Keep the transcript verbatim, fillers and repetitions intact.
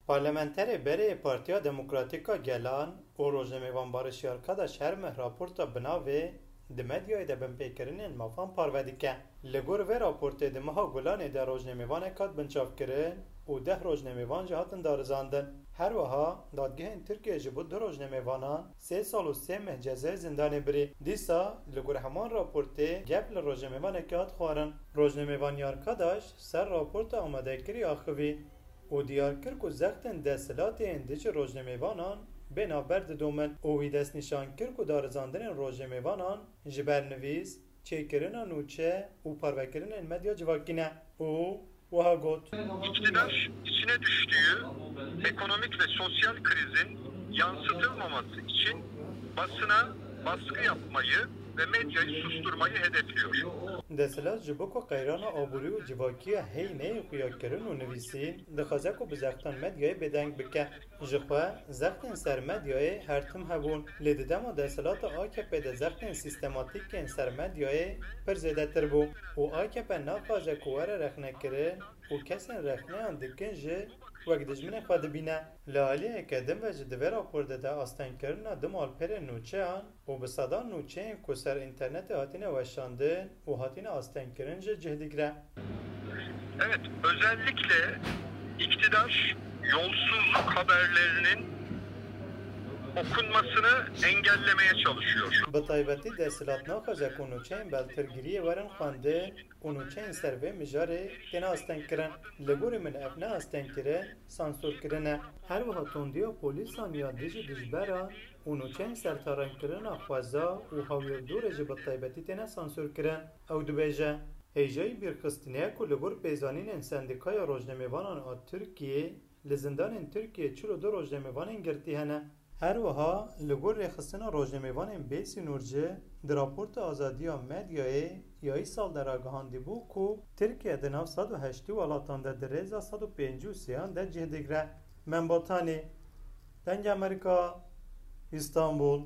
Parlamenterê berê Partiya Demokratîk a Gelan û rojnamevan Barış Yarkadaş her meh raporta bi navê Di medyayê de binpêkirinên mafan parve dike. Li gor vê raportê di meha Gulanê de rojnamevanek hat binçavkirin û deh rojnamevan jî hatin darizandin. Her wiha dadgehên Tirkiyê ji bo du rojnamevanan sê sal û sê meh cezayê zindanê birî. Dîsa li gor heman raportê gef li rojnamevanekê hat xwarin. Rojnamevan Yarkadaş ser raporta amadekirî axivî û diyar kir ku zextên desthilatê yên dijî rojnamevanan bê navber didomin û wî destnîşan kir ku darizandinên rojnamevanan ji ber nivîs, çêkirina nûçe û parvekirinên medya civakî ne û wiha got. İktidar içine düştüğü ekonomik ve sosyal krizin yansıtılmaması için basına baskı yapmayı ve medyayı susturmayı hedefliyor. Desthilat ji bo ku qeyrana aborî û civakiya heyî neyê xuyakirin û nivîsîn, dixwaze ku bi zextan medyayê bêdeng bike. Ji xwe zextên ser medyayê her tim hebûn, lê di dema desthilata A K P de zextên sîstematîk yên ser medyayê pir zêdetir bû û A K P naxwaze ku were rexnekirin û kesên rexneyan dikin jî wek dijminê xwe dibîne. Li aliyeke din ve jî di vê raporê de astengkirina du malperên nûçeyan û bi sedan nûçeyên ku ser înternetê hatine weşandin û hatine astengkirin jî cih digire. Evet, özellikle iktidar yolsuzluk haberlerinin okunmasını engellemeye çalışıyor. Bi taybetî desthilat naxwaze ku nûçeyên beltirgiriyê werin xwendin û nûçeyên ser vê mijarê têne astengkirin. Li gorî min ev ne astengkirin, sansûrkirin e. Her wiha tondiya polîsan ya dijî dijberan û nûçeyên ser tarenkirina xweza û hawirdorê jî bi taybetî têne sansûrkirin. Ew dibêje, hêjayî bîrxistinê ye ku li gor pêzanînên Sendîkaya Rojnamevanan a Tirkiyê li zindanên Tirkiyê çil û du rojnamevanên girtî hene. Her wiha li gor rêxistina rojnamevanên bêsînor jî di raporta azadiya medyayê ya îsal de ragihandîbû ku Tirkiye di nav sed û heştê welatan de di rêza sed û pêncî û sêyan de cih digre. Membatanî, Dengê Amerîka, Îstanbul.